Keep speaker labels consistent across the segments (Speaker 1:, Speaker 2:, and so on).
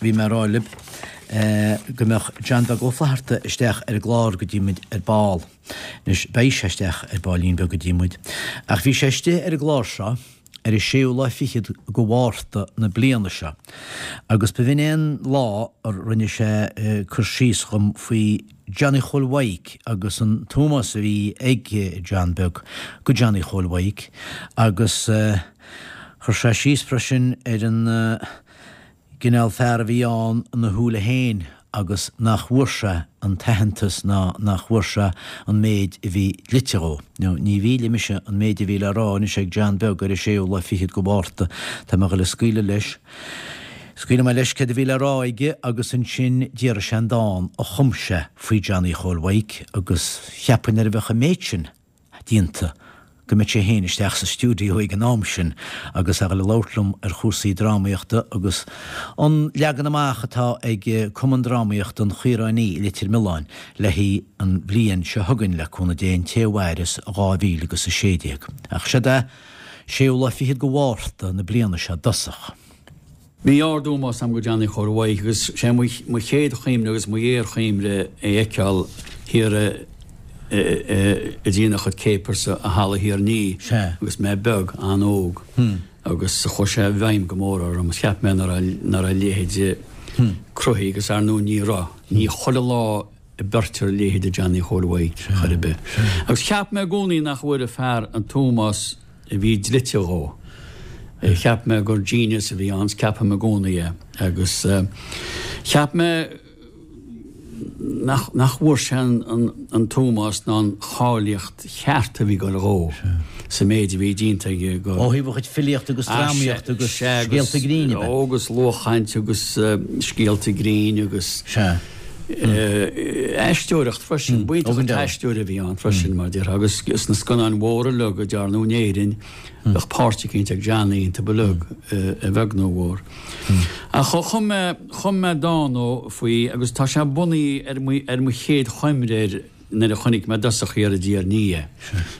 Speaker 1: bhí mé a rá libh go mbeadh John Beag Ó Flatharta isteach ar an gclár go dtí muid ar ball. Anois, beidh sé isteach ar baillín beag go dtí muid. Ach bhí sé istigh ar an gclár seo ar an séú lá fichead go Mhárta na bliana seo agus b'in é an lá a rinne sé cur síos dhom faoi Johnny Chóil Mhaidhc agus an t-ómós a bhí ag John Beag go Johnny Chóil Mhaidhc agus chuir sé síos freisin ar an gcineál fear a bhí ann ina shúile féin agus nach bhfuair sé an t-aitheantas ná nach bhfuair sé an méid a bhí dlite dhó. Now, ní mhíllfidh mise an méid a bhí le rá anois ag John Beag ar an séú lá fichead go Mhárta. Tá mé ag dul a scaoileadh leis. Scaoilfidh mé leis céard a bhí le rá aige agus ansin déarfaidh sé an dán a chum sé faoi Johnny Chóil Mhaidhc agus cheapfainn nuair a bheadh an méid sin déanta go mbeadh sé féin isteach sa stiúideo ag an am sin agus a dhul ag labhairt liom ar chúrsaí drámaíochta agus an leagan amach atá ag Cumann Drámaíochta an Chaoráin i Leitir Mealláin le haghaidh an bhliain seo chugainn, le cúnamh Dé, an té a mhaireas, 2016. Ach seod é, séú lá fichead go Mhárta na bliana seo i dtosach.
Speaker 2: Bhí ard-ómós agam go Johnny Chóil Mhaidhc agus sé mo chéad chuimhne agus mo ghéarchuimhne é a fheiceáil thiar ag déanamh a chuid capers i Halla Thír an Fhia agus mé beag, an-óg agus chuaigh sé i bhfeidhm go mór orm. Cheap mé nach raibh a leithéid cruthaithe agus ar ndóigh ní raibh. Ní chuile lá a bheirtear a leithéid de Johnny Chóil Mhaidhc chor ar bith. Agus cheap mé i gcónaí nach bhfuair an fear an t-ómós a bhí dlite dhó. Cheap mé gur genius a bhí ann, 's ceapaim i gcónaí é. Agus cheap mé nach nach bhfuair sé an t-ómós ná an cháilíocht cheart a bhí ag dul dhó sa méid a bhí déanta aige
Speaker 1: go Ó thaobh a chuid filíochta agus drámaíochta agus scéalta grinn, ab
Speaker 2: ea? Agus luathchaint agus scéalta grinn agus.
Speaker 1: Sea.
Speaker 2: Aisteoireacht freisin. B'iontach an t-aisteoir a bhí ann freisin, mar a déarfá, agus sna scannáin mhóra uilig a dearnadh in Éirinn, bheadh páirt eicínt ag Johnny iontu uilig, a bheag nó a mhór. Ach chum mé, chum mé dán faoi agus tá sé bunaithe ar mo, ar mo chéad chuimhne air nuair a chonaic mé i dtosach thiar i dTír an Fhia é.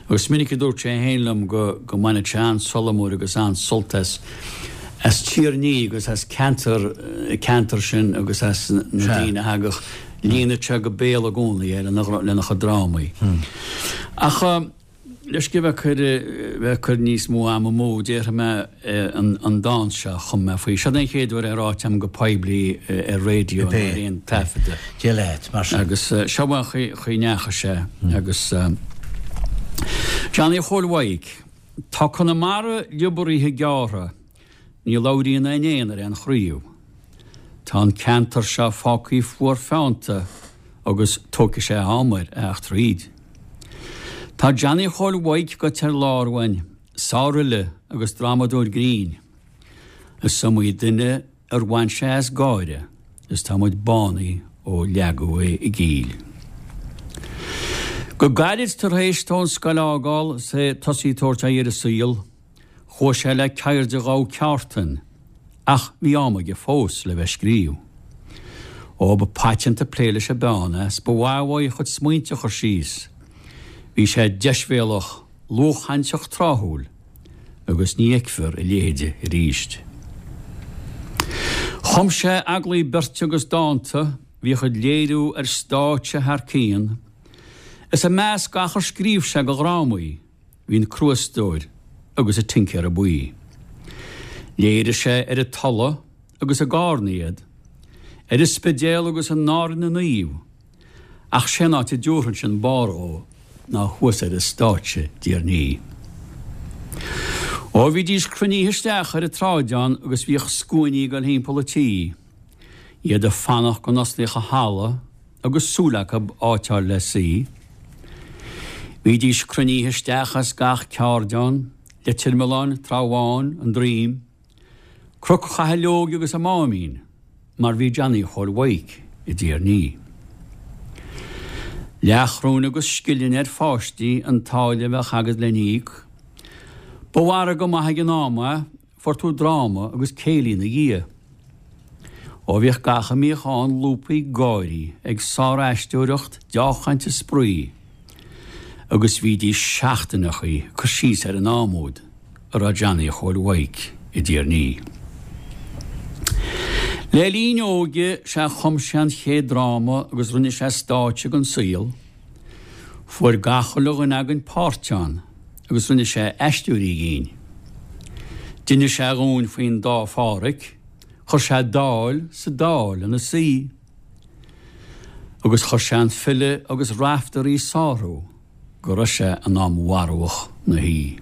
Speaker 2: Agus is minic a dúirt sé féin liom go go mbaineadh sé an-tsolamh mór agus an-sult as as Tír an Fhia agus as ceantar ceantar sin agus as na daoine a thagadh. Líonadh sé go béal i gcónaí é lena lena chuid drámaí. Ach leis go bheith ag cur bheith ag cur níos mó ama amú, déarfaidh mé an dán seo a chum mé faoi. Seo den chéad uair é ráite agam go poiblí ar raidió nó ar aon taifeadadh.
Speaker 1: Dia leat, mar
Speaker 2: sin. Agus seo an chaoi a ndeachaigh sé. Agus Johnny Chóil Mhaidhc. Tá Conamara liobartha gearrtha. Ní labhraíonn aon éan ar aon chraobh. Tá an ceantar seo fágtha fuar feannta agus tógfaidh sé am air a theacht thríd. Tá Johnny Chóil Mhaidhc goite ar lár uainn, sárfhile agus drámadóir grinn. Is iomaí duine ar bhain sé as gáire is tá muid bánaithe ó leagadh é i gcill. Go gairid tar éis dó an scoil a fhágáil is é tosaí ag tabhairt aghaidh ar an saol, Chuaigh sé le ceird a ghabh ceártan, ach bhí am aige fós le bheith ag scríobh. Ó, ba paiteanta ag plé leis an bpeann é, 's ba mhaith uaidh a chuid smaointe a chur síos. Bhí sé deisbhéalach, luathchainteach tráthúil, agus ní fheicfear a leithéide arís. Chum sé eaglaí beirte agus dánta, bhíodh iad léiriú ar stáitse thar cionn, is i measc gach ar scríobh sé de dhrámaí, Bhí an Crúastóir agus an Tincéara Buí. Léirigh sé ar an Tulaigh agus i gCárna iad, ar an Spidéal agus in Árainn na Naomh, ach sé an áit a dtabharfainnse an barr dhó ná thuas ar an stáitse i dTír an Fhia. Ó bhídís cruinnithe isteach ar an tsráideán agus bhíodh scuainí ag dul thimpeall an tí, iad ag fanacht go n-osclaíodh an halla, agus súil acu áit a fháil le suí. Bhídís cruinnithe isteach as gach ceardeán, Leitir Mealláin, Trá Bháin, An Droim, Cnoc Chathalóige agus an Máimín, mar bhí Johnny Chóil Mhaidhc i dTír an Fhia. Leathchróin agus scillin ar pháistí an táille a bheadh agat len íoc. Ba mhargadh maith ag an am é, Fuair tú dráma agus céilí ina dhiaidh. Ó bhíodh gach a mbíodh ann lúbtha ag gáirí, ag sár-aisteoireacht, deá-chaint is spraoi. Agus bhídís seachtaineachaí ag cur síos ar an am úd a raibh Johnny Chóil Mhaidhc i dTír an Fhia. Le linn a óige sea chum sé an chéad dráma agus rinne sé stáitse den saol. Fuair gach uile dhuine againn páirt ann agus rinne sé aisteoirí dhínn. D'inis sé dhúinn faoin dá Phádhraic, chuir sé Dáil sa Dáil ina suí. Agus chuir sé an file agus Raiftearaí sárú. go raibh sé in am mharbhadh 'na shuí.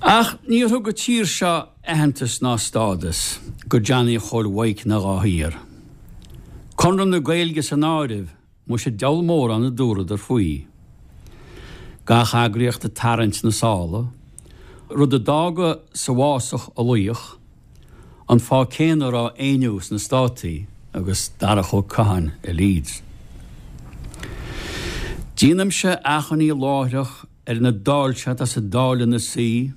Speaker 2: Ach níor thug an tír seo aitheantas ná stádas go Johnny Chóil Mhaidhc ná dhá thiar. Conradh na Gaeilge san áireamh, muise diabhal mórán a dúradar faoi. Gach eagraíocht ag tarraingt na sála, rud a d'fhága sa bhfásach a laoch, An fáth céanna a raibh Éinniú sna Státaí agus Darach Ó Catháin i Leeds. Déanaimse achainí láithreach ar na dáilse atá sa Dáil ina suí,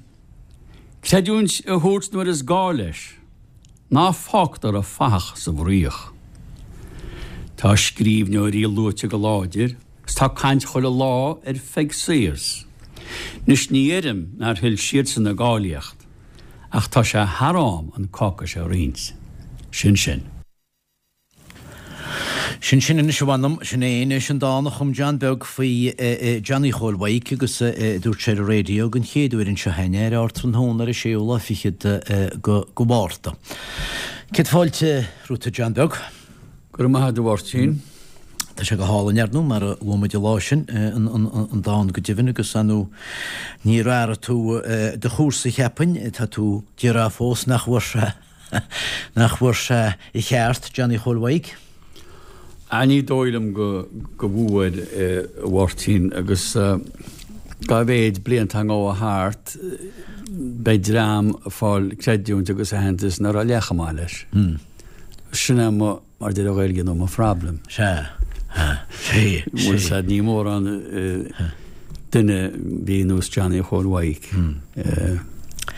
Speaker 2: creidiúint a thabhairt nuair is gá leis, ná fágtar an fathach sa bhfraoch. Tá scríbhneoirí luaite go láidir 's tá caint chuile lá ar Pheig Sayers. 'Nois ní dheirim nár thuill siadsan a gcáilíocht. Ach tá sé thar am an cáca seo a roinnt. Sin sin.
Speaker 1: Sin sin anois a mh'anam, sin é anois an dán a chum John Beag faoi Johnny Chóil Mhaidhc agus a dúirt sé ar an raidió den chéad uair anseo féin é ar Ardtráthnóna ar an séú lá fichead de Mhárta. Céad fáilte romhat a John Beag.
Speaker 2: Go raibh maith agat a Mháirtín.
Speaker 1: Tá sé go hálainn, ar ndóigh, mar a luaigh muid an lá sin, an dán go deimhin, agus ar ndóigh níor athraigh tú do chúrsa, cheapfainn, tá tú d'iarraidh fós nach bhfuair sé, nach bhfuair sé a cheart, Johnny Chóil Mhaidhc.
Speaker 2: Ah, ní dóigh liom go bhfuair, a Mháirtín, agus dá mhéid blianta a ngabha thart, beidh dream ag fáil creidiúint agus aitheantas nach raibh leath chomh maith leis. Sin é mo, mar a deir an Ghaeilge, nó mo phroblem.
Speaker 1: Sea. Sea.
Speaker 2: Bhuel, sea, ní mórán duine a bhí ar nós Johnny Chóil Mhaidhc.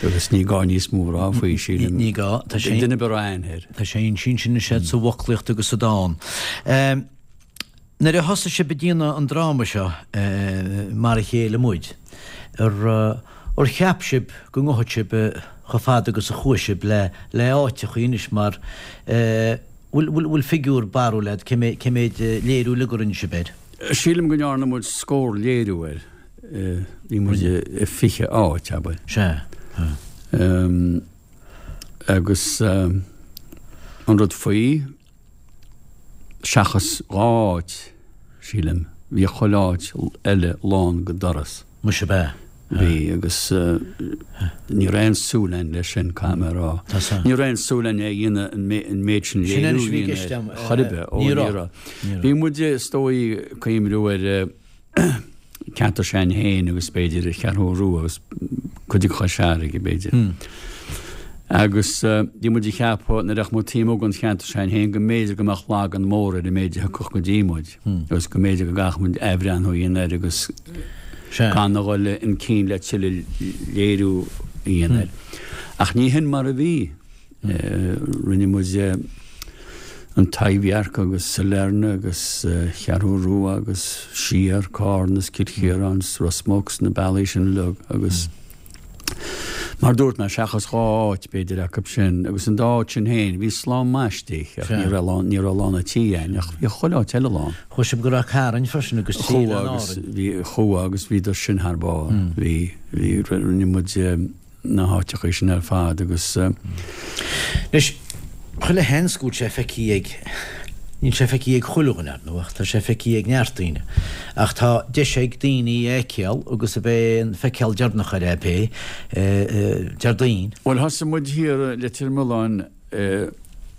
Speaker 2: Agus ní gá níos mó a rá faoi, sílim.
Speaker 1: Ní gá. Tá
Speaker 2: sé. Duine ar bith a raibh aithne air.
Speaker 1: Tá sé ansin sin is ea sa bhfoclaíocht agus sa dán. Nuair a thosaigh sibh ag déanamh an dráma seo, Mar a Chéile Muid, ar ar cheap sibh go ngabhfadh sibh chomh fada agus a chuaigh sibh le le áiteachaí anois mar bhfuil bhfuil figiúr barúil agat cé cé méid léiriú uilig a rinne sibh air?
Speaker 2: Sílim go ndearna muid scór léiriú air. Bhí muid i 20 áit, abair.
Speaker 1: Sea.
Speaker 2: Agus an rud faoi, Seachas 2 áit, sílim, bhí chuile áit eile lán go doras.
Speaker 1: Muise ab ea?
Speaker 2: Bhí, agus ní raibh aon súil againn leis sin, caithfidh mé a rá. Ní raibh aon súil againn é a dhéanamh an méid sin léiriú a dhéanamh air, chor ar bith. Ó, ní raibh. Bhí muid, is dóigh, ag cuimhniú ar ceantar s'againn féin agus b'fhéidir an Cheathrú Rua agus cuid de Chois Fharraige b'fhéidir. Agus bhí muid ag ceapadh nuair a bheadh muid taobh amuigh den cheantar s'againn féin go mb'fhéidir go mbeadh lagan mór ar an méid a thiocfadh go dtí muid agus go mb'fhéidir go gcaithfeadh muid athbhreathnú a dhéanamh air agus gan a dhul chun cinn le tuilleadh léiriú a dhéanamh air. Ach ní hin mar a bhí. Rinne muid an Taibhdhearc agus Sailearna agus Cheathrú Rua agus siar, Carna is Cill Chiaráin is Ros Muc is na bealaí sin uilig agus mar dúirt mé, seachas 2 áit b'fhéidir acu sin agus an dá áit sin féin, bhí slám maith istigh ach ní raibh lán, ní raibh lán an tí againn ach bhí chuile áit eile lán.
Speaker 1: Chuaigh sibh go Ráth Cairn freisin agus
Speaker 2: Tír an Árainn. Bhí, chuaigh agus bhíodar sin thar barr. Bhí, bhí, rinne muid na háiteachaí sin ar fad agus.
Speaker 1: Anois, chuile sheans go bhfuil sé feicthe ag, níl sé feicthe ag chuile dhuine, ar ndóigh, ach tá sé feicthe ag neart daoine. Ach tá deis ag daoine é a fheiceáil agus ab é an feiceáil deireanach air é pé, Déardaoin.
Speaker 2: Bhuel, thosaigh muid thiar i Leitir Mealláin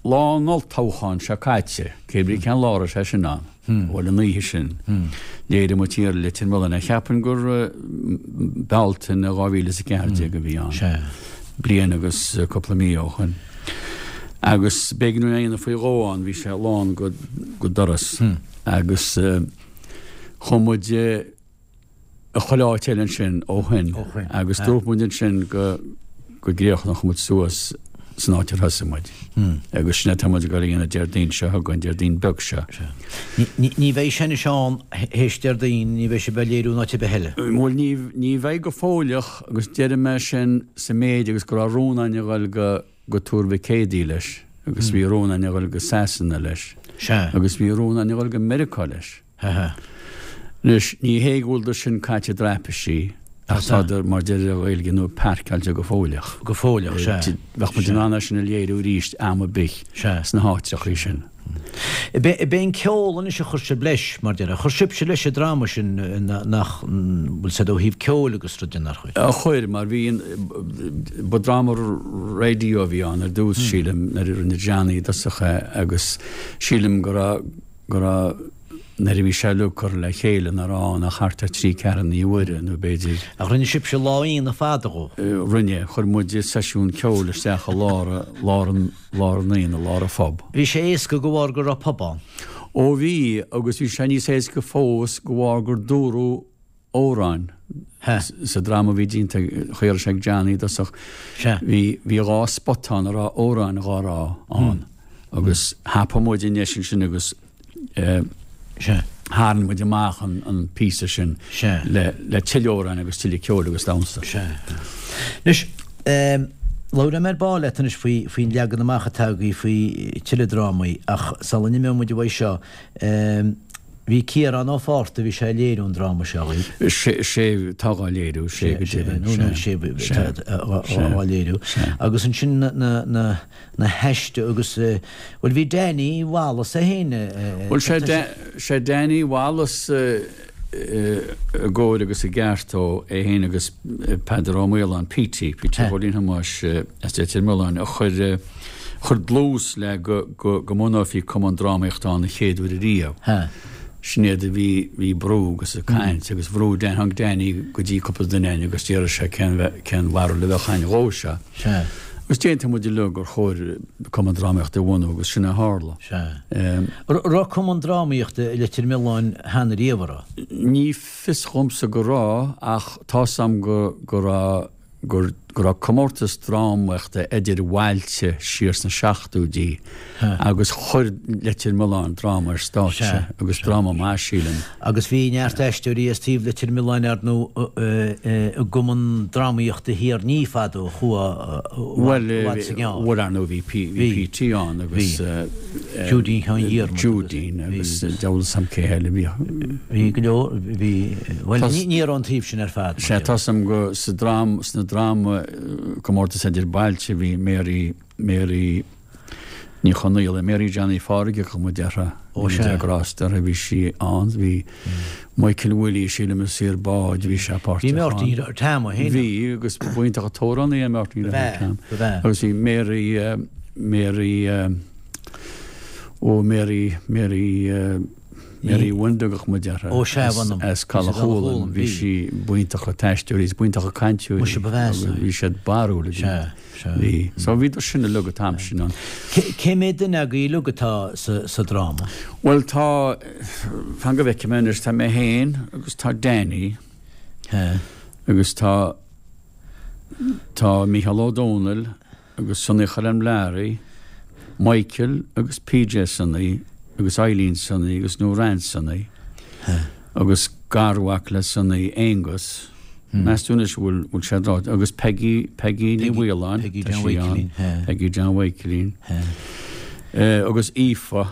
Speaker 2: lá an olltoghcháin seo caite, cé brí cén lá a raibh sé sin ann, bhuel an oíche sin, léirigh muid thiar i Leitir Mealláin, cheapfainn gur Bealtaine 2014 a bhí ann, bliain agus cúpla mí ó shoin. Agus b'éigean dúinn é a dhéanamh faoi dhó ann, bhí sé lán go doras. Agus chuaigh muid i chuile áit eile ansin ó shoin agus dúirt muid ansin go go gcríochnódh muid suas san áit ar thosaigh muid. Agus sin é atá muid ag dul a dhéanamh Déardaoin seo chugainn, Déardaoin beag seo.
Speaker 1: Ní bheidh sé anois ann théis Déardaoin, ní bheidh sibh á léiriú in áit ar bith eile?
Speaker 2: Bhuel ní bheidh go fóilleach agus deirim é sin sa méid agus go raibh rún againn a dhul go. go Tuar Mhic Éadaigh leis agus bhí rún againn a dhul go Sasana leis. Sea. Agus bhí rún againn a dhul go Meiriceá leis. Anois, ní hé go bhfuil sin caite i dtraipisí, ach tádar, mar deir an Ghaeilge nua, pairceáilte go fóilleach.
Speaker 1: Go fóilleach, sea.
Speaker 2: Bheadh muid in ann é sin a léiriú arís am ar bith sna háitreachaí sin.
Speaker 1: Ab é an ceol anois a chuir sibh leis, mar déarfá. Chuir sibhse leis an dráma sin nach bhfuil said ó thaobh ceoil agus rud de, nár
Speaker 2: chuir? Chuir, mar bhí an, ba dráma raidió a bhí ann ar dtús, sílim, nuair a rinne Johnny i dtosach é agus sílim go raibh, go raibh, nuair a bhí sé uilig curtha le chéile, nach raibh ann ach thart ar thrí ceathrúna uaire nó b'fhéidir.
Speaker 1: Ach rinne sibhse lá Aoine fada dhó?
Speaker 2: Rinne. Chuir muid seisiún ceoil isteach i lár, lár an, lár an Aoine, lár an phub.
Speaker 1: Bhí sé éasca de bharr go raibh pub ann?
Speaker 2: Ó bhí, agus bhí sé níos éasca fós de bharr gur dúradh amhráin sa dráma a bhí déanta, chaoi a raibh sé ag Johnny i dtosach. Bhí dhá spot ann a raibh amhráin dhá rá ann agus thapaigh muid an deis ansin agus tharraing muid amach an píosa sin le tuilleadh amhráin agus tuilleadh ceoil agus damhsa.
Speaker 1: Anois, labhróidh mé ar ball leat anois faoin leagan amach atá agaibh faoi tuilleadh drámaí ach sula n-imeoidh muid uaidh seo, Bhí Ciarán Ó Fátharta, bhí sé ag léiriú an dráma seo
Speaker 2: dhaoibh. Sé atá dhá léiriú, sé go
Speaker 1: deimhin, sé. Sé atá dhá léiriú. Agus ansin na na na haiste agus, bhuel bhí Danny Wallace é féin.
Speaker 2: Bhuel sé sé Danny Wallace i gcóir agus i gceart ó é féin agus Peadar Ó Maoláin, Petey, Petey Chóilín Thomáis as Leitir Mealláin a chuir chuir dlús le go go mbunófaí cumann drámaíochta ann an chéad uair ariamh. Sin iad a bhí bhí ag brú agus ag caint agus bhrúigh Dan tháinig Danny go dtí cúpla duine againn agus d'fhiafraigh sé cén cén bharúil a bheadh againn dhó seo. Agus d'aontaigh muid uilig gur chóir cumann drámaíochta a bhunú agus sin a tharla.
Speaker 1: Raibh cumann drámaíochta i Leitir Mealláin cheana riamh, an
Speaker 2: raibh? Ní fios dhomsa go raibh ach tá's a'm go go raibh go raibh comórtas drámaíochta idir bhailte siar sna seachtóidí agus chuir Leitir Mealláin dráma ar stáitse agus dráma maith, sílim.
Speaker 1: Agus bhí neart aisteoirí as taobh Leitir Mealláin ar ndóigh i gCumann Drámaíochta Thír an Fhia fadó a chuaigh
Speaker 2: i bhfad is i gceann. Bhuel, ar ndóigh bhí Petey ann agus.
Speaker 1: Judeen Sheáin Dhiarmaid.
Speaker 2: Judeen agus deabhal 'fhios a'm cé eile
Speaker 1: bhí. Bhí go leor, bhí, bhuel ní raibh an taobh sin ar fad.
Speaker 2: Sea, tá's a'm go sa drám, sna dráma comórtas idir bailte bhí Mary, Mary Ní Chonaola, Mary Johnny Phádraig a thug muid uirthi. Ó sea. Bhí grásta uirthi, bhí sí ann, bhí Michael Willie, sílim a saor báid, bhí sé
Speaker 1: páirteach ann. Bhí Máirtín Tom
Speaker 2: féin. Bhí agus b'iontach an t-amhránaí é Máirtín Tom. Agus bhí Mary, Mary, ó Mary, Mary, Mary Wenda a thug muid uirthi.
Speaker 1: Ó sea, mh'anam.
Speaker 2: As Caladh Chualann. Bhí sí b'iontach an t-aisteoir í, is b'iontach an cainteoir í.
Speaker 1: Muise ba mheasa
Speaker 2: í. Bhí siad barrúil.
Speaker 1: Sea,
Speaker 2: sea. Bhí. So bhíodar sin uilig an t-am sin
Speaker 1: ann. Cé mhéad duine agaibh uilig atá sa dráma?
Speaker 2: Bhuel tá, fan go bhfeicfidh mé anois, tá mé féin agus tá Danny. Agus tá, tá Mícheál Ó Domhnaill. agus Sonaí Choilm Learaí, Michael agus PJ Sonaí agus Eileen Sonaí agus Nóran Sonaí agus garmhac le Sonaí, Aonghus, meas tú anois bhfuil bhfuil sé ráite, agus Peggy, Peggy Ní Mhaoláin,
Speaker 1: Peggy John Mhaidhcilín,
Speaker 2: Peggy John Mhaidhcilín, agus Aoife,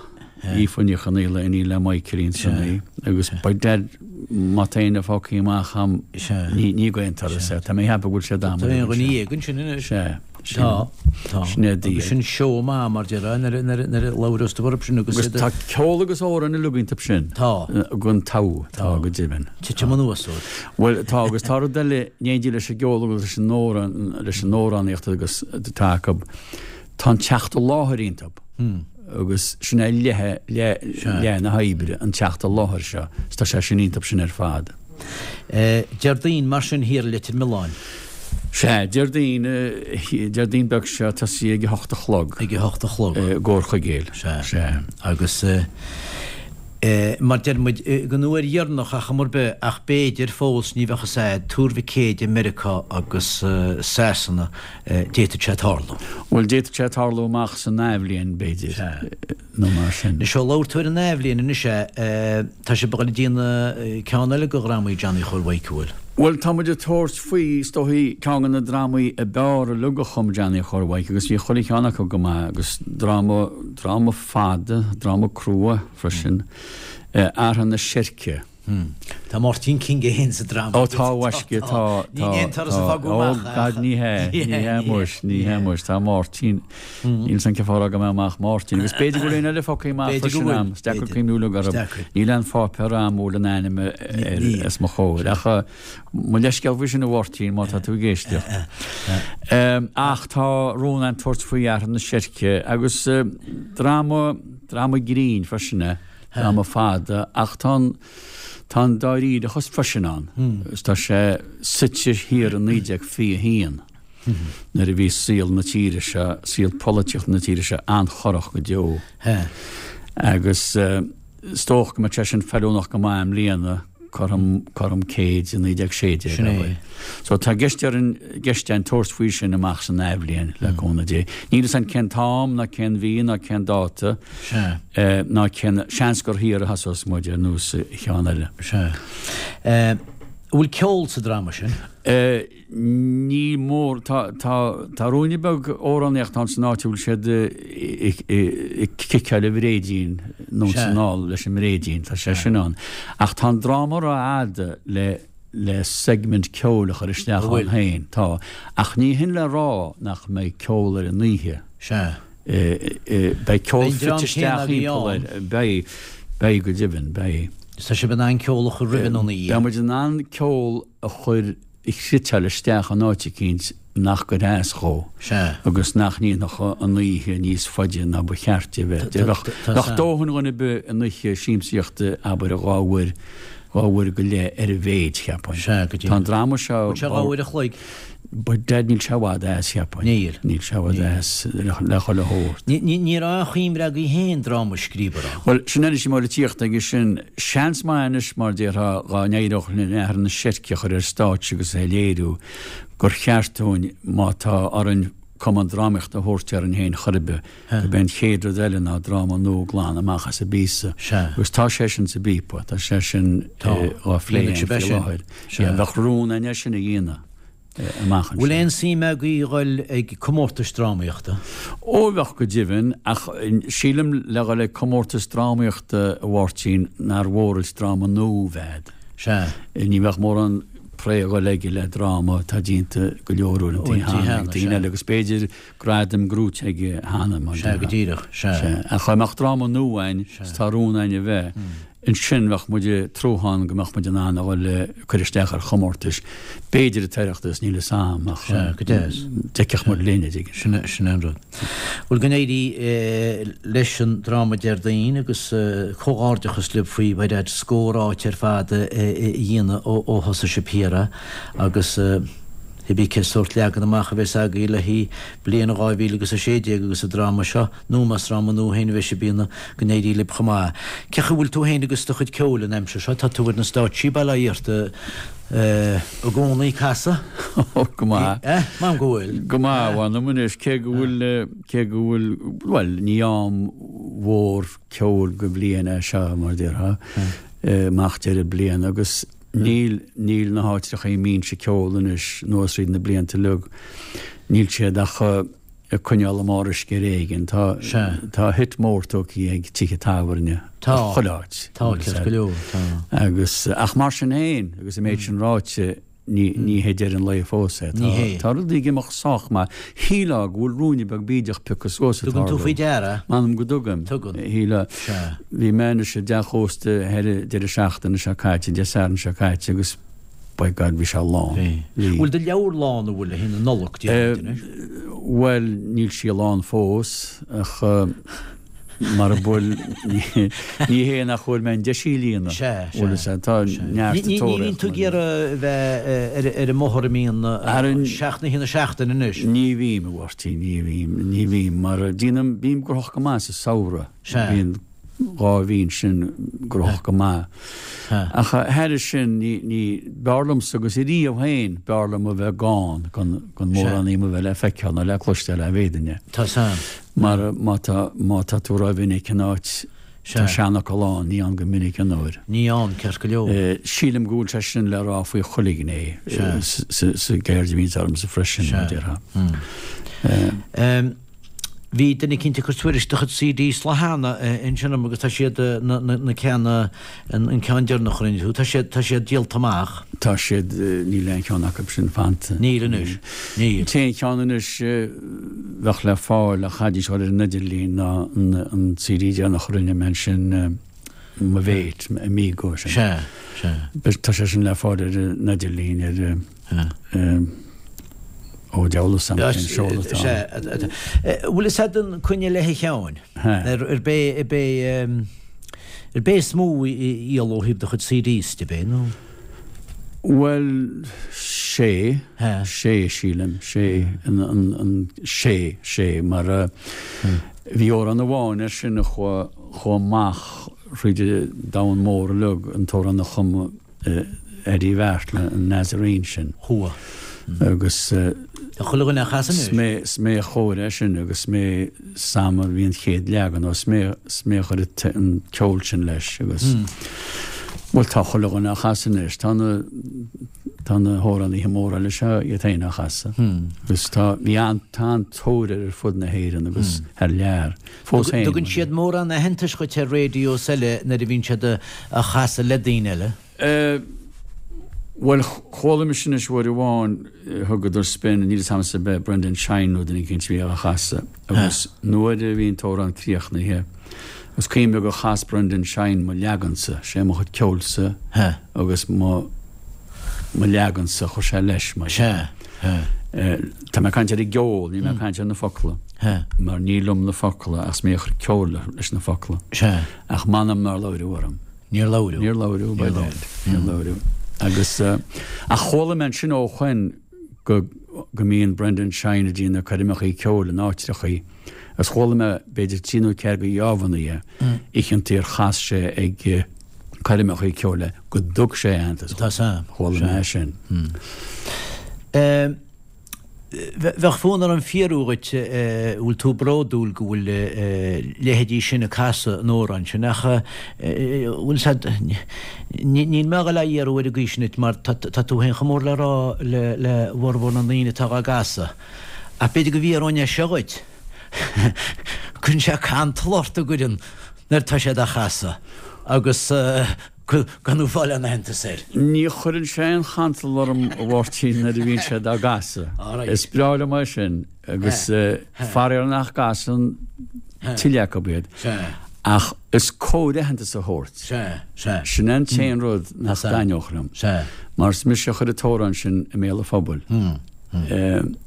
Speaker 2: Aoife Ní Chonaola, iníon le Michaelín Sonaí, agus by dad má tá éinne fágtha amach a'm, ní d'aon turas é, tá mé ag ceapadh go bhfuil sé
Speaker 1: d'am. Tá aon dhuine dhéag ansin anois.
Speaker 2: Sea.
Speaker 1: Tá, tá.
Speaker 2: Sin é
Speaker 1: Agus sin seó maith mar déarfá nuair a labhrós tú orthu sin
Speaker 2: agus. Agus tá ceol agus amhráin uilig iontu sin.
Speaker 1: Tá.
Speaker 2: Gan togha, tá go deimhin.
Speaker 1: Titim anuas ort.
Speaker 2: Bhuel, tá agus tá rud eile in éindí leis an gceol agus leis an amhrán, leis an amhránaíocht agus atá acu, tá an teacht i láthair iontu. Agus sin é leath, leath na hoibre, an teacht i láthair seo. Is tá sé sin iontu sin ar fad.
Speaker 1: Déardaoin mar sin thiar i Leitir Mealláin.
Speaker 2: Sea, Déardaoin, Déardaoin beag seo, tosaí ag a hocht a chlog.
Speaker 1: Ag a hocht a chlog.
Speaker 2: I gcomhair Chuigéil.
Speaker 1: Sea. Sea. Agus mar deir muid, don uair dheireanach ach am ar bith, ach b'fhéidir fós, ní bheadh fhios a'd, Tuar Mhic Éadaigh, Meiriceá agus Sasana, D'fhéadfadh sé tarlú.
Speaker 2: Bhuel, d'fhéadfadh sé tarlú amach san athbhliain, b'fhéidir, nó mar sin.
Speaker 1: Anois, ó labhair tú ar an athbhliain anois, tá sibh ag dul ag déanamh ceann eile de dhrámaí Johnny Chóil Mhaidhc, an bhfuil?
Speaker 2: Bhuel, tá muid ag tabhairt faoi, is dóichí, ceann de na drámaí ab fhearr uilig a chum Johnny Chóil Mhaidhc agus bhí chuile cheann acu go maith agus dráma, dráma fada, dráma crua freisin, Athartha na Seirce.
Speaker 1: Tá Máirtín King é féin sa dráma.
Speaker 2: Ó tá, a mhaisce, tá, tá,
Speaker 1: Ní aon turas a fágadh
Speaker 2: amach. Ó gad, ní hea, ní hea muis, ní hea muis, tá Máirtín, Níl 's a'm cén fáth a raibh mé amach Máirtín, agus b'fhéidir go bhfuil éinne eile fágtha amach freisin a'm, is deacair cuimhniú uilig orthu. Níl aon pháipéar a'm a bhfuil a n-ainm air os mo chomhair. Ach mo leithscéal faoi sin a Mháirtín, má tá tú ag éisteacht. Ach tá rún a'inn tabhairt faoi Athartha na Seirce, agus dráma, dráma grinn freisin é, dráma fada, ach tá an, tá an dáiríreachas freisin ann, agus tá sé suite thiar i 1921. nuair a bhí saol na tíre seo, saol polaitíochta na tíre seo an-chorrach go deo. Agus is dócha go mbeadh sé sin feiliúnach go maith i mbliana, cothrom, cothrom céid i 1916.
Speaker 1: Sin é.
Speaker 2: So tá i gceist orainn, i gceist againn tabhairt faoi sin amach san athbhliain, le cúnamh Dé. Níl fhios a'm cén t-am, ná cén mhí, ná cén dáta, ná cén, seans gur thiar a thosós muid ar nós an cheann eile.
Speaker 1: Sea. An bhfuil ceol sa dráma sin?
Speaker 2: Ní mór. Tá, tá, tá ruainne beag amhránaíochta ann san áit a bhfuil siad ag ciceáil an bhréidín anonn is anall leis an mbréidín. Tá sé sin ann. Ach tá an dráma rófhada le, le segment ceoil a chur isteach ann féin. Tá. Ach ní hin le rá nach mbeidh ceol ar an oíche.
Speaker 1: Sea.
Speaker 2: Beidh ceol fite isteach thimpeall air. Beidh. Beidh go deimhin. Beidh.
Speaker 1: Tá sibh in ann ceol a chur roimhe nó ina dhiaidh?
Speaker 2: Beidh muid in ann ceol a chur a chniotáil isteach in áit eicínt nach gcuirfeadh as dhó agus nach ndéanfadh an oíche níos faide ná ba cheart di a bheith. Bheadh dóthain dhuine ar bith in oíche siamsaíochta, abair, dhá uair, dhá uair go leith ar a mhéid,
Speaker 1: cheapfainn.
Speaker 2: Tá an dráma seo.
Speaker 1: Bhfuil sé dhá uair a chloig?
Speaker 2: By dad níl sé i bhfad as, cheapfainn.
Speaker 1: Níl.
Speaker 2: Níl sé i bhfad as le chuile shórt.
Speaker 1: Ní raibh aon chuimhne agaibh féin dráma a scríobh, an
Speaker 2: raibh? Bhuel, sin anois mar a tíocht aige sin. Seans maith anois, mar déarfá, dhá n-éireodh linn Athartha na Seirce a chur ar stáitse agus é a léiriú, gur cheart dúinn, má tá orainn cumann drámaíochta a thabhairt orainn féin chor ar bith, gurb é an chéad rud eile ná dráma nua glan amach as an bpíosa. Agus tá sé sin sa bpíopa, tá sé sin á phlé againn faoi láthair. Bheadh rún againn é sin a dhéanamh amach
Speaker 1: anseo. Bhfuil aon suim agaibh a dhul ag comórtais drámaíochta?
Speaker 2: Ó bheadh go deimhin, ach sílim le dhul ag comórtas drámaíochta, a Mháirtín, nár mhór duit dráma nua a bheith agat.
Speaker 1: Sea.
Speaker 2: Ní bheadh mórán pré a dhul aige le dráma atá déanta go leor uaireanta cheana ag daoine eile agus b'fhéidir gradaim gnóite aige cheana,
Speaker 1: mar Sea, go díreach, sea.
Speaker 2: Sea. Ach dá mbeadh dráma nua againn, is tá rún againn a bheith, ansin bheadh muid ag trúthán go mbeadh muid in ann a dhul ag cur isteach ar chomórtais, b'fhéidir an tOireachtas, níl fhios a'm, ach
Speaker 1: Sea, go deas.
Speaker 2: d'fheicfeadh muid linn, a dtuigeann.
Speaker 1: Sin é, sin é an rud. Bhuel, go n-éirí leis an dráma Déardaoin agus comhghairdeachas libh faoi by dad scór áit ar fad a dhéanamh ó thosaigh sibh thiar agus Cibé cén sórt leagan amach a bheas agaibh le haghaidh bliain 2016 agus an dráma seo, nó más dráma nua féin a bheas sibh a dhéanamh, go n-éirí libh chomh maith. Cén chaoi a bhfuil tú féin agus do chuid ceoil an aimsir seo? Tá tú ar na stáitsí, bail ó Dhia ort, i gcónaí ag casadh?
Speaker 2: Ó, go maith.
Speaker 1: Eh? M'anam go bhfuil.
Speaker 2: Go maith, mh'anam anois, cé go bhfuil, cé go bhfuil, bhuel, ní am mhór ceoil go bhliain é seo, mar a déarfá, amach deireadh bliana agus, Níl, níl na háitreacha a mbínnse ag ceol anois anuas thríd na blianta uilig, níl siad ach ag coinneáil a mbarr uisce ar éigin. Tá, tá hit mór tógtha ag tithe tábhairne
Speaker 1: Tá,
Speaker 2: chuile áit.
Speaker 1: tá, ceart go leor, tá.
Speaker 2: Agus, ach mar sin féin, agus an méid sin ráite, ní, ní hé deireadh an lae fós é.
Speaker 1: Ní hé.
Speaker 2: Tá rudaí ag imeacht sách maith. Shílfeá go bhfuil ruainne beag bídeach pioctha suas
Speaker 1: ag
Speaker 2: Tugann
Speaker 1: tú
Speaker 2: tarlú.
Speaker 1: faoi deara?
Speaker 2: M'anam go dtugaim.
Speaker 1: Tugann.
Speaker 2: Shílfeá.
Speaker 1: Sea.
Speaker 2: Bhí mé anois i dteach ósta thoir an deireadh seachtaine seo caite, Dé Sathairn seo caite, agus by God bhí sé lán.
Speaker 1: Bhí.
Speaker 2: Bhí.
Speaker 1: Bhfuil do leabhar lán, an bhfuil, le haghaidh na Nollag, déarfainn anois?
Speaker 2: Bhuel, níl sí lán fós, ach mara bhfuil, ní hé nach bhfuair mé an deis í a líonadh.
Speaker 1: Sea, sea.
Speaker 2: Bhfuil fhios a'd, tá neart
Speaker 1: Ní, ní, ní bhíonn tú ag iarraidh a bheith ar, ar an mbóthar i mbíonn seacht n-oíche na seachtaine anois.
Speaker 2: Ní bhím, a Mháirtín, ní bhím, ní bhím, mar déanaim, bím gnóthach go maith sa samhradh.
Speaker 1: Sea.
Speaker 2: Bíonn 2 mhí ansin gnóthach go maith. Ach thairis sin, ní, ní, b'fhearr liomsa agus ariamh féin, b'fhearr liom a bheith gann, gan, gan mórán díom a bheith le feiceáil ná le cloisteáil dá bhféadfainn é.
Speaker 1: Tá san.
Speaker 2: Mar má tá, má tá tú rómhinic in áit. Tá seanfhocal ann, ní ann go minic anoir.
Speaker 1: Ní ann, ceart go leor.
Speaker 2: Sílim go bhfuil sé sin le rá faoi chuile ghné sa gceird a bhíonns ormsa freisin, mar a déarfá.
Speaker 1: Bhí duine eicínt ag cur tuairisc do chuid CDs lá cheana ansin orm agus tá siad, na ceanna, an ceann deireanach a rinne tú, tá siad, tá siad díolta amach.
Speaker 2: Tá siad, níl aon cheann acu sin fanta.
Speaker 1: Níl anois, níl.
Speaker 2: An t-aon cheann anois a bheadh le fáil ach chaithfidís dul ar an idirlíon ná an CD deireanach a rinne mé ansin, mo mhéit, Amigo
Speaker 1: sin. Sea, sea.
Speaker 2: Tá sé sin le fáil ar an idirlíon ar. Ó deabhal is ann cén seoladh atá
Speaker 1: ann. Bhfuil fhios a'd an Coinnigh Leithe Sheáin? Ar b'é ar b'é is mó a dhíol ó thaobh do chuid CDs de, b'é nó?
Speaker 2: Bhuel, sé, sé sílim, sé, an, sé, sé, mar bhí amhrán amháin air sin a chuaigh amach thríd an domhan mór uilig, an t-amhrán a chum Eddie Bheartla, an Nazarene sin.
Speaker 1: Chuaigh.
Speaker 2: Agus.
Speaker 1: Tá chuile dhuine á chasadh
Speaker 2: anois. Is mé a chóirigh é sin agus is mé sam a bhí an chéad leagan nó is mé is mé a chuir an ceol sin leis agus bhuel tá chuile dhuine á chasadh anois. Tá na tá na hamhránaithe móra eile seo iad féin á chasadh agus tá bhí an tá an-tóir air ar fud na hÉireann agus thar lear.
Speaker 1: Fós féin. Tugann siad mórán aitheantais dhuit ar raidió is eile nuair a bhíonn siad á chasadh le daoine eile?
Speaker 2: Bhuel, chuala mise anois uair amháin, thugadar spin, níl 'fhios a'msa ab é Brendan Shine nó duine eicínt a bhí á chasadh agus nuair a bhí an t-amhrán críochnaithe, is cuimhin liom gur chas Brendan Shine mo leagansa, sé mo chuid ceoilsa agus mo mo leagansa a chuir sé leis mar.
Speaker 1: Sea.
Speaker 2: Tá mé ag caint ar an gceol, níl mé ag caint ar na focla. Mar ní liom na focla ach is mé a chuir ceol leis na focla.
Speaker 1: Sea.
Speaker 2: Ach m'anam nár labhradh orm.
Speaker 1: Níor labhradh.
Speaker 2: Níor labhradh, by dad. Níor labhradh. Agus, ach chuala mé ansin ó shoin go go mbíonn Brendan Shine ag déanamh coirmeachaí ceoil in áitreachaí agus chuala mé b'fhéidir trí nó ceathair de gheábhanna oícheantaí ar chas sé ag coirmeachaí ceoil go dtug sé aitheantas.
Speaker 1: Tá
Speaker 2: san. Chuala mé é sin.
Speaker 1: Bheadh fonn orm fiafraí dhuit bhfuil tú bródúil go bhfuil leithéidí sin ag casadh an amhráin sin ach bhfuil said níl mé a dhul á fhiafraí ar an gcaoi sin duit mar tá tú féin chomh mór le rá le formhór na ndaoine atá dhá gcasadh ach b'fhéidir go bhfiafróinn é seo dhuit cuireann sé cantal ort an gcuireann nuair atá siad á chasadh agus gan tú fáil aon aitheantas air.
Speaker 2: Ní chuireann sé aon chantal orm a Mháirtín nuair a bhíonn siad á gcasadh. Is breá liom é sin agus faraor nach gcasann tuilleadh acu iad. Ach is cóir aitheantas a thabhairt. Sin é an t-aon rud nach dtaitneodh liom. Mar is mise a chuir an t-amhrán sin i mbéal an phobail.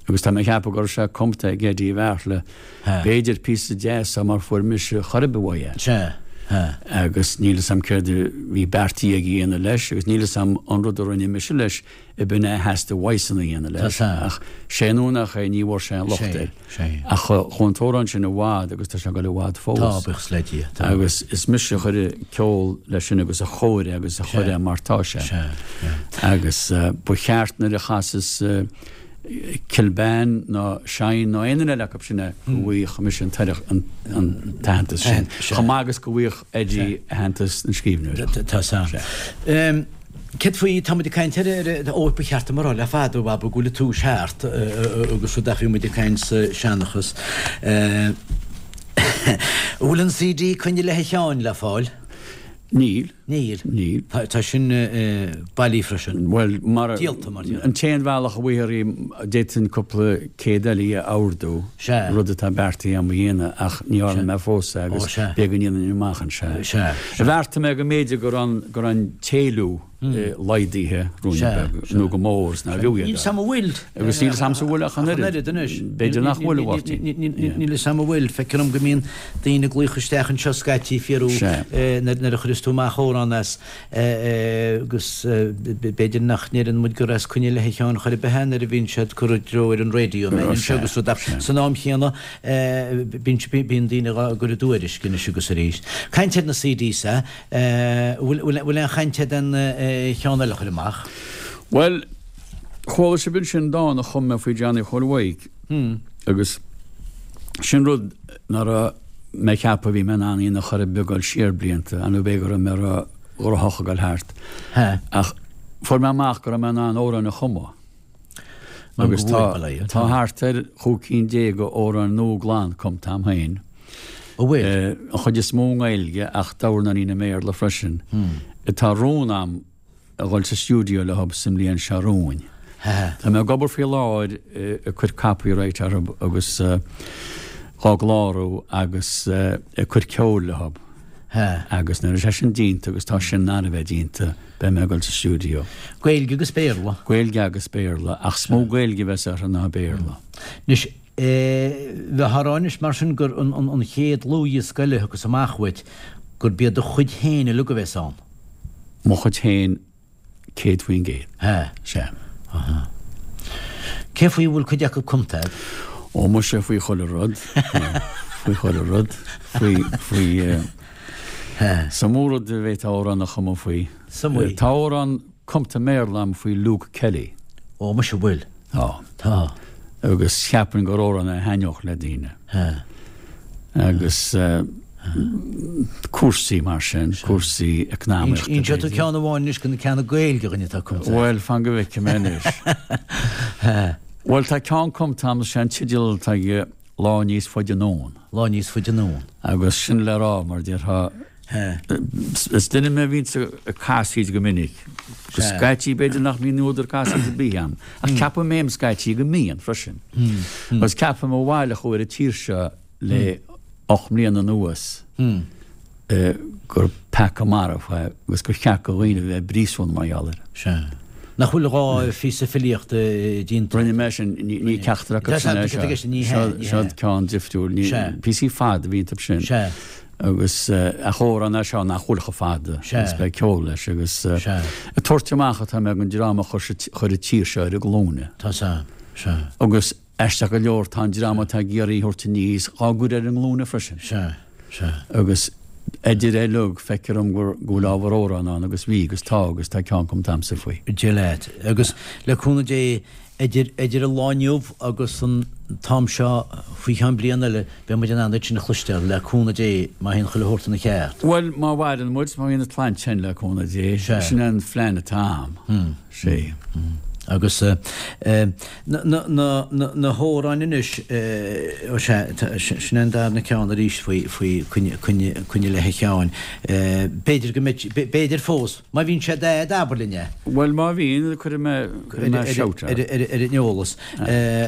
Speaker 2: Agus tá mé ag ceapadh go raibh sé cumta ag Eddie Bheartla B'fhéidir píosa deas é mar fuair mise chor ar bith uaidh é.
Speaker 1: Sea.
Speaker 2: Agus níl 'fhios a'm céard a bhí beartaithe aige a dhéanamh leis agus níl 'fhios a'm an rud a rinne mise leis ab in é a theastaigh uaidhsean a dhéanamh leis. Ach sé nó nach é ní bhfuair sé aon locht air. Ach chuaigh an t-amhrán sin i bhfad agus tá sé ag dul i bhfad fós.
Speaker 1: Tá, buíochas le Dia.
Speaker 2: Tá. Agus is mise a chuir ceol leis sin agus a chóirigh agus a chuir é mar tá sé. Agus ba cheart nuair a chasas Kilbane ná Shine ná aon duine eile acu sin é go bhfaigheadh mise an t-aitheantas sin, chomh maith agus go bhfaigheadh Eddie aitheantas na scríbhneoireachta.
Speaker 1: Tá san. Céard faoi, tá muid ag caint ar, ó ba cheart dom a rá le fada, a Bhaba, go bhfuil an túis thart agus rud ach bhí muid ag caint sa seanchas. An bhfuil an CD Coinnigh Leithe Sheáin le fáil?
Speaker 2: Níl.
Speaker 1: Níl.
Speaker 2: Níl.
Speaker 1: Tá sin bailí freisin.
Speaker 2: Bhuel, mar.
Speaker 1: Díolta, mar
Speaker 2: dhea. An t-aon bhealach a bhfaighfear í, d'fhéadfainn cúpla céad eile a ordú,
Speaker 1: Sea.
Speaker 2: rud atá beartaithe agam a dhéanamh, ach ní dhearna mé fós é agus
Speaker 1: Ó, sea.
Speaker 2: b'fhéidir go ndéanfainn amach anseo é.
Speaker 1: Sea.
Speaker 2: Bheartaigh mé go mb'fhéidir go raibh an, go raibh an t-éileamh laghdaithe ruainne beag, nó go mór, is nár bhfiú iad
Speaker 1: Níl 'fhios a'm an bhfuil.
Speaker 2: Agus níl 'fhios a'msa an bhfuil ach an
Speaker 1: oiread anois.
Speaker 2: B'fhéidir nach bhfuil, a Mháirtín.
Speaker 1: Níl 'fhios a'm an bhfuil. Feictear dom go mbíonn daoine ag glaoch isteach anseo scaití ag fiafraí nuair a chuireas tú amach amhrán as agus b'fhéidir nach ndeireann muid gur as Coinnigh Leithe Sheáin chor ar bith é nuair a bhíonn siad curtha i dtreo ar an raidió anseo agus rud ach san am chéanna bíonn daoine á gcur i dtuairisc anois agus arís. Caint ar na CDs Bhfuil aon chaint agat aon cheann eile a chur amach?
Speaker 2: Bhuel, chuala sibh ansin dán a chum mé faoi Johnny Chóil Mhaidhc agus sin rud ná raibh. mé ag ceapadh bhí mé in ann in aon chor ar bith ag dul siar blianta, nó b'fhéidir go raibh mé ró-ghnóthach ag dul thart. Ach fuair mé amach go raibh mé in ann amhráin a chumadh. Agus tá tá thart ar chúig cinn déag d'amhráin nua glan cumtha a'm féin.
Speaker 1: An bhfuil?
Speaker 2: An chuid is mó i nGaeilge ach dornáinín i mBéarla freisin. Tá rún a'm a dhul sa stiúideo leo sa mbliain seo romhainn. Tá mé ag obair faoi láthair ag cur copyright orthu agus dhá gclárú agus ag cur ceoil leo. Agus nuair atá sé sin déanta agus tá sin ar a bheith déanta, beidh mé ag dul sa stiúideo.
Speaker 1: Gaeilge agus Béarla?
Speaker 2: Gaeilge agus Béarla, ach is mó Gaeilge a bheas orthu ná Béarla.
Speaker 1: Anois, bheifeá a rá anois mar sin gur an chéad dlúthdhiosca eile a thiocfas amach uait, gurb iad do chuid féin uilig a bheas ann?
Speaker 2: Mo chuid féin 100%.
Speaker 1: Sea.
Speaker 2: Sea.
Speaker 1: Aha. Cé faoi a bhfuil cuid acu cumtha a'd?
Speaker 2: Ó, muise, faoi chuile rud. Faoi chuile rud. Faoi, faoi,
Speaker 1: Sea.
Speaker 2: Is iomaí rud a bhféadfá amhrán a chumadh faoi.
Speaker 1: Is iomaí.
Speaker 2: Tá amhrán cumtha i mBéarla a'm faoi Luke Kelly.
Speaker 1: Ó, muise, bhfuil?
Speaker 2: Tá.
Speaker 1: Tá.
Speaker 2: Agus cheapfainn gur amhrán é a thaitneodh le daoine.
Speaker 1: Sea.
Speaker 2: Agus cúrsaí mar sin, cúrsaí eacnamaíochta.
Speaker 1: Inseoidh tú ceann amháin anois de na ceanna Gaeilge againn atá cumtha.
Speaker 2: Bhuel, fan go bhfeicfidh mé anois. Bhuel, tá ceann cumtha a'm, is é an teideal atá aige Lá Níos Faide Anonn.
Speaker 1: Lá Níos Faide Anonn.
Speaker 2: Agus sin le rá, mar déarfá, is duine mé a bhíonns ag casaoid go minic. Go scaití b'fhéidir nach mbíonn údar casaoid ar bith a'm, ach ceapaim féin scaití go mbíonn freisin. Agus ceapaim ó bhaile a chuaigh ar an tír seo le 8 mbliana anuas gur peaca marbh é agus gur cheart do dhaoine a bheith i bpríosún mar gheall air.
Speaker 1: Sea. Nach bhfuil gá phíosa filíochta déanta?
Speaker 2: Rinne mé sin, ní ceachtar acu sin é seo.
Speaker 1: Ní hea, ní hea.
Speaker 2: Seo ceann difriúil.
Speaker 1: Sea.
Speaker 2: Píosaí fada a bhí iontu sin.
Speaker 1: Sea.
Speaker 2: Agus ach amhrán é seo nach bhfuil chomh fada.
Speaker 1: Sea.
Speaker 2: Agus beidh ceol leis agus
Speaker 1: Sea.
Speaker 2: ag tabhairt amach atá mé don dream a chuir an tír seo ar a glúine.
Speaker 1: Tá sea. Sea.
Speaker 2: Agus Aisteach go leor, tá an dream atá ag iarraidh í a thabhairt aníos dhá gcur ar a nglúine freisin.
Speaker 1: Sea, sea.
Speaker 2: Agus idir é uilig, feictear dom go bhfuil ábhar amhrán ann, agus bhí, agus tá, agus tá ceann cumtha a'msa faoi.
Speaker 1: Dia leat. Agus le cúnamh Dé, idir, idir an lá inniu agus an t-am seo faoi cheann bliain eile, beidh muid in ann iad sin a chloisteáil, le cúnamh Dé, má théann chuile shórt ina cheart.
Speaker 2: Bhuel, má mhaireann muid, má bhíonn an tsláinte againn, le cúnamh Dé.
Speaker 1: Sea.
Speaker 2: Sin é an phlean atá a'm. Sea.
Speaker 1: Agus na na hamhráin anois, ó sea, sin é an darna ceann arís faoi faoi coinne coinne coinne le Sheáin. B'fhéidir go mbeidh, b'fhéidir fós, má bhíonn sé d'aid, abair linn é.
Speaker 2: Bhuel, má bhíonn, cuirfidh mé, cuirfidh mé shout
Speaker 1: ort. Ar an eolas.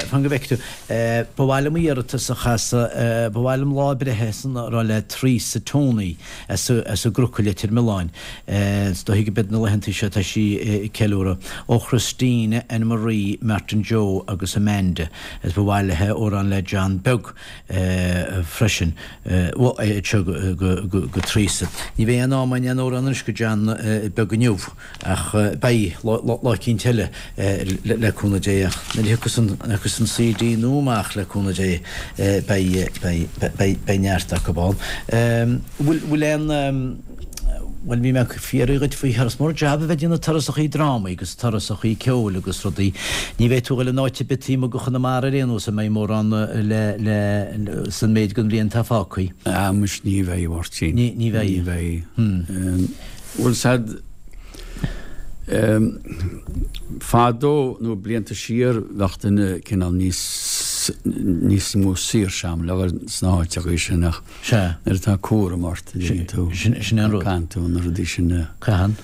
Speaker 1: Fan go bhfeicfidh tú. Ba mhaith liom iarratas a chasadh, ba mhaith liom lá breithe sona a rá le Teresa Tony as an gCroc i Leitir Mealláin. Is dóichí go b'iad na laethantaí seo atá sí ag ceiliúradh. Ó Christina, Anne Marie, Martin Joe agus Amanda. Is ba mhaith léi amhrán le John Beag freisin. Iad seo go Teresa. Ní bheidh aon am againn aon amhrán anois go John Beag inniu. Ach beidh, lá eicínt eile, le cúnamh Dé. Ach nuair a thiocfas an CD nua amach, le cúnamh Dé, beidh, beidh, beidh, beidh neart acu ann. Bhfuil, bhfuil aon, bhuel, bhí mé ag fiafraí dhuit faoi thuras, mór jab a bheith ag déanamh turasachaí drámaí agus turasachaí ceoil agus rudaí. Ní bheidh tú ag dul in áit ar bith taobh amuigh de Chonamara ar aon nós a mbeidh mórán le, le, san méid den bhliain atá fágtha.
Speaker 2: Ah, muis ní bheidh, a Mháirtín.
Speaker 1: Ní, ní bheidh.
Speaker 2: Ní bheidh. Bhuel, sad, fadó nó blianta siar bheadh duine cineál níos níos mó saoirse a'm le dhul sna háiteachaí sin ach
Speaker 1: Sea.
Speaker 2: nuair atá cúram ort a dtuigeann tú,
Speaker 1: Sin sin é an rud.
Speaker 2: caitheann tú na rudaí sin a
Speaker 1: Caitheann.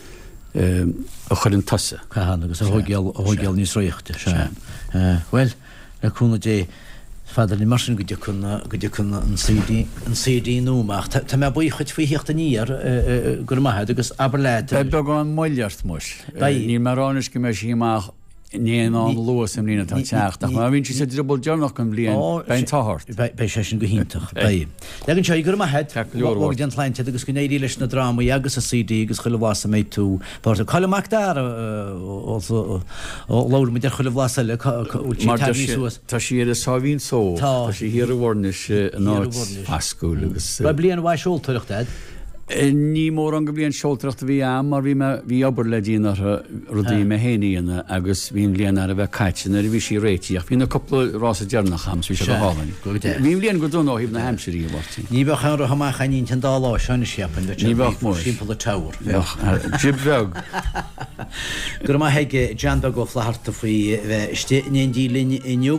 Speaker 2: a chuireann tusa.
Speaker 1: Caitheann agus a thóigeáil a thóigeáil níos réichte. Sea. Bhuel, Le cúnamh Dé, is fada linn mar sin go dtiocfaidh go dtiocfaidh an CD an CD nua amach. Tá mé buíoch dhuit faoi theacht aniar, go raibh maith agat agus abair leat.
Speaker 2: Beidh beagán moill ort muis.
Speaker 1: Beidh.
Speaker 2: Níl mé ag rá anois go mbeidh sí amach in aon am luath sa mbliain atá ag teacht, ach má bhíonn sí sa drioball deireanach den bhliain, beidh an t-ádh ort.
Speaker 1: Beidh sé sin go hiontach. Beidh. Leag anseo í, go raibh maith agat.
Speaker 2: Ceart go leor,
Speaker 1: Go dté an tsláinte ort agus go n-éirí leis na drámaí agus an CD agus chuile bhlas a mbeidh tú páirteach. Cá bhfuil Mac Dara ó labhair muid ar chuile bhlas eile, cá bhfuil sí
Speaker 2: Mar tá
Speaker 1: tagtha
Speaker 2: sí,
Speaker 1: suas?
Speaker 2: tá sí ar a sáimhín só.
Speaker 1: Tá.
Speaker 2: Tá sí thiar i bhFoirnis in
Speaker 1: Thiar i
Speaker 2: áit
Speaker 1: bhFoirnis.
Speaker 2: foscúil agus.
Speaker 1: Raibh bliain mhaith seoltóireachta agat?
Speaker 2: Ní mórán de bhliain seoltóireachta a bhí a'm mar bhí mé, bhí obair le déanamh orthu, rudaí mé féin a dhéanamh agus bhí an bhliain thar a bheith caite nuair a bhí sí réitithe ach bhí na cúpla rása deireanach a'm so bhí sé go hálainn. Bhí an bhliain go dona ó thaobh na haimsire a Mháirtín.
Speaker 1: Ní bheadh aon roth amach a'inn ins an dá lá seo anois cheapfainn,
Speaker 2: bheadh sé Ní bheadh muis.
Speaker 1: timpeall an tower.
Speaker 2: Bheadh. Jib bheag.
Speaker 1: Go raibh maith ag John Beag Ó Flatharta faoi bheith istigh in éindí linn inniu.